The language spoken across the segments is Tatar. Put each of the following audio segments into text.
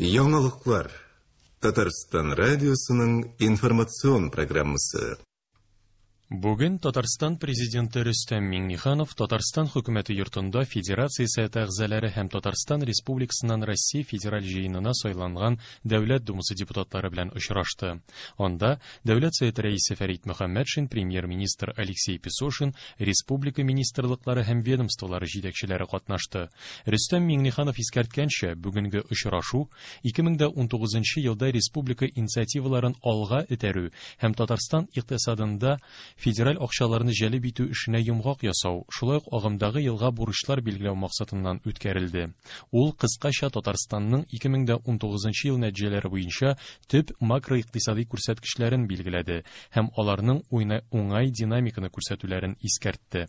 Яңалыклар. Татарстан радиосының информацион программасы. Бүген Татарстан Президенты Рөстәм Миңнеханов Татарстан Хөкүмәте йортында Федерация Советы әгъзалары һәм Татарстан Республикасыннан Россия Федераль Җыенына сайланган Дәүләт Думасы депутатлары белән очрашты. Анда Дәүләт Советы Рәисе Фәрит Мөхәммәтшин, Премьер-министр Алексей Песошин, республика министрлыклары һәм ведомстволары җитәкчеләре катнашты. Рөстәм Миңнеханов искәрткәнчә, бүгенге очрашу 2019 елда республика инициативаларын алга этәрү һәм Татарстан икътисадында федераль акчаларны җәлеп итү эшенә йомгак ясау, шулай ук агымдагы елга бурычлар билгеләү максатыннан үткәрелде. Ул кыскача Татарстанның 2019 ел нәтиҗәләре буенча төп макроикътисадый күрсәткечләрен билгеләде һәм аларның уңай динамиканы күрсәтүләрен искәртте.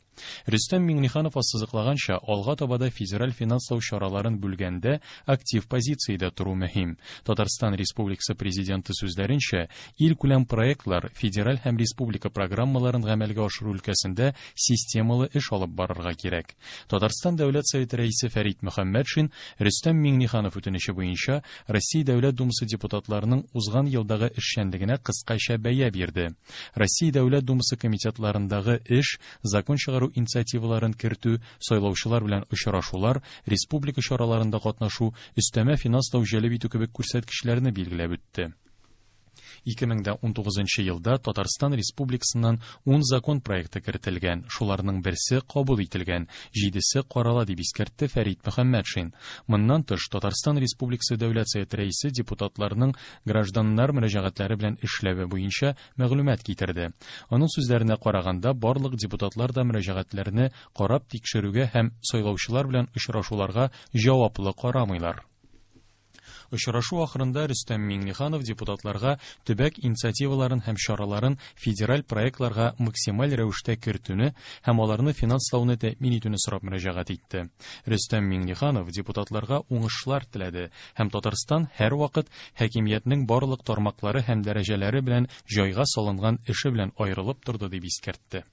Рөстәм Миңнеханов ассызыклаганча, алга таба да федераль финанслау чараларын бүлгәндә актив позициядә тору мөһим. Татарстан Республикасы Президенты сүзләренчә, илкүләм проектлар, федераль һәм республика программаларын гамәлгә ашыру өлкәсендә системалы эш алып барырга кирәк. Татарстан Дәүләт Советы Рәисе Фәрит Мөхәммәтшин Рөстәм Миңнеханов үтенече буенча Россия Дәүләт Думасы депутатларының узган елдагы эшчәнлегенә кыскача бәя бирде. Россия Дәүләт Думасы комитетларындагы эш, закон чыгару инициативаларын кертү, сайлаучылар белән очрашулар, республика чараларында катнашу, өстәмә финанслау җәлеп итү кебек күрсәткечләрне билгеләп үтте. 2019 елда Татарстан Республикасыннан 10 закон проекты кертелгән, шуларның берсе кабул ителгән, җидесе карала дип искәртте Фәрит Мөхәммәтшин. Моннан тыш, Татарстан Республикасы Дәүләт Советы Рәисе депутатларның гражданнар мөрәҗәгатьләре белән эшләве буенча мәгълүмат китерде. Аның сүзләренә караганда, барлык депутатлар да мөрәҗәгатьләрне карап тикшерүгә һәм сайлаучылар белән очрашуларга җаваплы карамыйлар. Очрашу ахырында Рөстәм Миңнеханов депутатларга төбәк инициативаларын һәм чараларын федераль проектларга максималь рәвештә кертүне һәм аларны финанслауны тәэмин итүне сорап мөрәҗәгать итте. Рөстәм Миңнеханов депутатларга уңышлар теләде һәм Татарстан һәрвакыт хакимиятнең барлык тармаклары һәм дәрәҗәләре белән җайга салынган эше белән аерылып торды дип искәртте.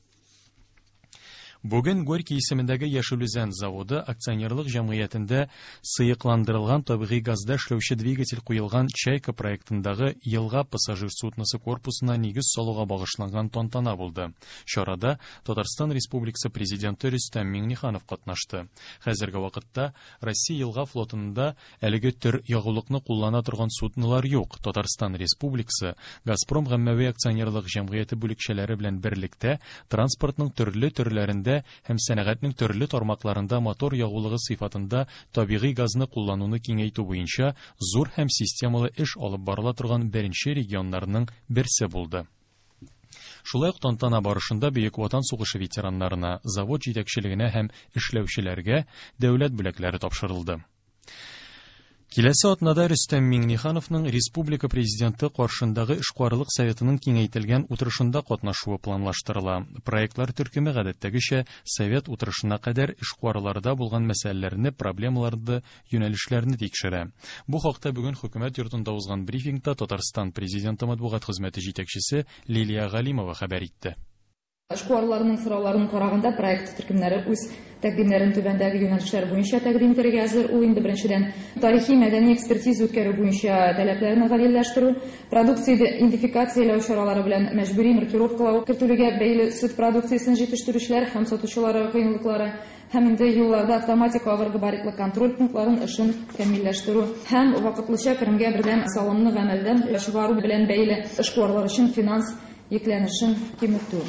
Бүген Горький исемендәге Яшел Үзән заводы акционерлык җәмгыятендә сыекландырылган табигый газда эшләүче двигатель куелган Чайка проектындагы елга пассажир судносы корпусына нигез салуга багышланган тантана булды. Чарада Татарстан Республикасы Президенты Рөстәм Миңнеханов катнашты. Хәзерге вакытта Россия елга флотында Әлеге төр ягулыкны куллана торган суднолар юк. Татарстан Республикасы Газпром гаммәви акционерлык җәмгыяте бүлекчәләре белән берлектә транспортның төрле төрләрендә һәм сәнәгатьнең төрле тармакларында мотор ягулыгы сыйфатында табигый газны куллануны киңәйтү буенча зур һәм системалы эш алып барыла торган беренче регионнарның берсе булды. Шулай ук тантана барышында Бөек Ватан сугышы ветераннарына, завод җитәкчелегенә һәм эшләүчеләргә дәүләт бүләкләре тапшырылды. Киләсе атнада Рөстәм Миңнехановның республика Президенты каршындагы эшкуарлык советының киңәйтелгән утырышында катнашуы планлаштырыла. Проектлар төркеме гадәттәгечә совет утырышына кадәр эшкуарларда булган мәсьәләләрне, проблемаларны, юнәлешләрне тикшерә. Бу хакта бүген Хөкүмәт йортында узган брифингта Татарстан Президенты матбугат хезмәте җитәкчесе Лилия Галимова хәбәр итте. Эшкуарларның сорауларын караганда, проект төркемнәре үз тәкъдимнәрен түбәндәге юнәлешләр буенча тәкъдим итәргә әзер. Ул инде беренчедән тарихи-мәдәни экспертиза үткәрү буенча таләпләрне гаделләштерү, продукция идентификацияләү чаралары белән мәҗбүри маркировкалау кертелүгә бәйле сөт продукциясен җитештерүчеләр һәм сатучылар кыенлыклары һәм инде юлларда автоматик авыр габаритлы контроль пунктларын эшен камилләштерү һәм вакытлыча керемгә бердәм салымны гамәлдән чыгару белән бәйле эшкуарлар өчен финанс йөкләнешен киметү.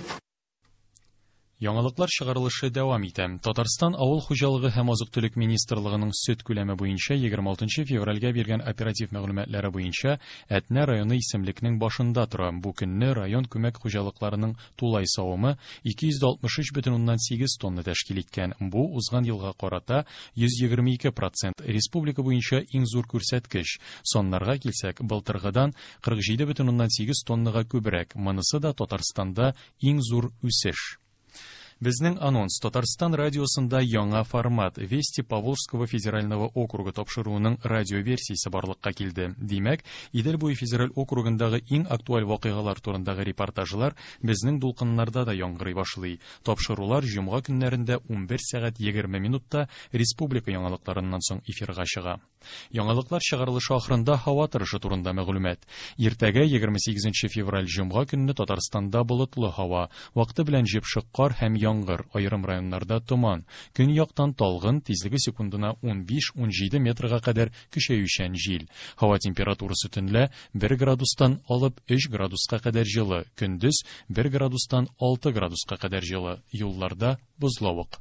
Яңалыклар чыгарылышы дәвам итә. Татарстан Авыл хуҗалыгы һәм азык-төлек министрлыгының сөт күләме буенча 26 февральгә биргән оператив мәгълүматлары буенча Әтнә районы исемлекнең башында тора. Бу көнне район күмәк хуҗалыкларының тулай савымы 263,8 тонна тәшкил иткән. Бу узган елга карата 122 процент, республика буенча иң зур күрсәткеч. Саннарга килсәк, былтыргыдан 47,8 тоннага күбрәк. Монысы да Татарстанда иң зур үсеш. Безнең анонс Татарстан радиосында яңа формат Вести Поволжского федерального округа тапшыруының радиоверсиясе барлыкка килде. Димәк, Идел буе федераль округындагы иң актуаль вакыйгалар турындагы репортажлар безнең дулкыннарда да яңгырый башлый. Тапшырулар җомга көннәрендә 11 сәгать 20 минутта республика яңалыкларыннан соң эфирга чыга. Яңалыклар чыгарылышы ахырында һава торышы турында мәгълүмат. Иртәгә 28 февраль җомга көнне Татарстанда болытлы һава, вакыты белән җепшек кар һәм яңгыр, аерым районнарда томан. Көньяктан талгын, тизлеге секундына 15-17 метрга кадәр көчәючән җил. Һава температурасы төнлә 1 градустан алып 3 градуска кадәр җылы, көндез 1 градустан 6 градуска кадәр җылы. Юлларда бозлавык.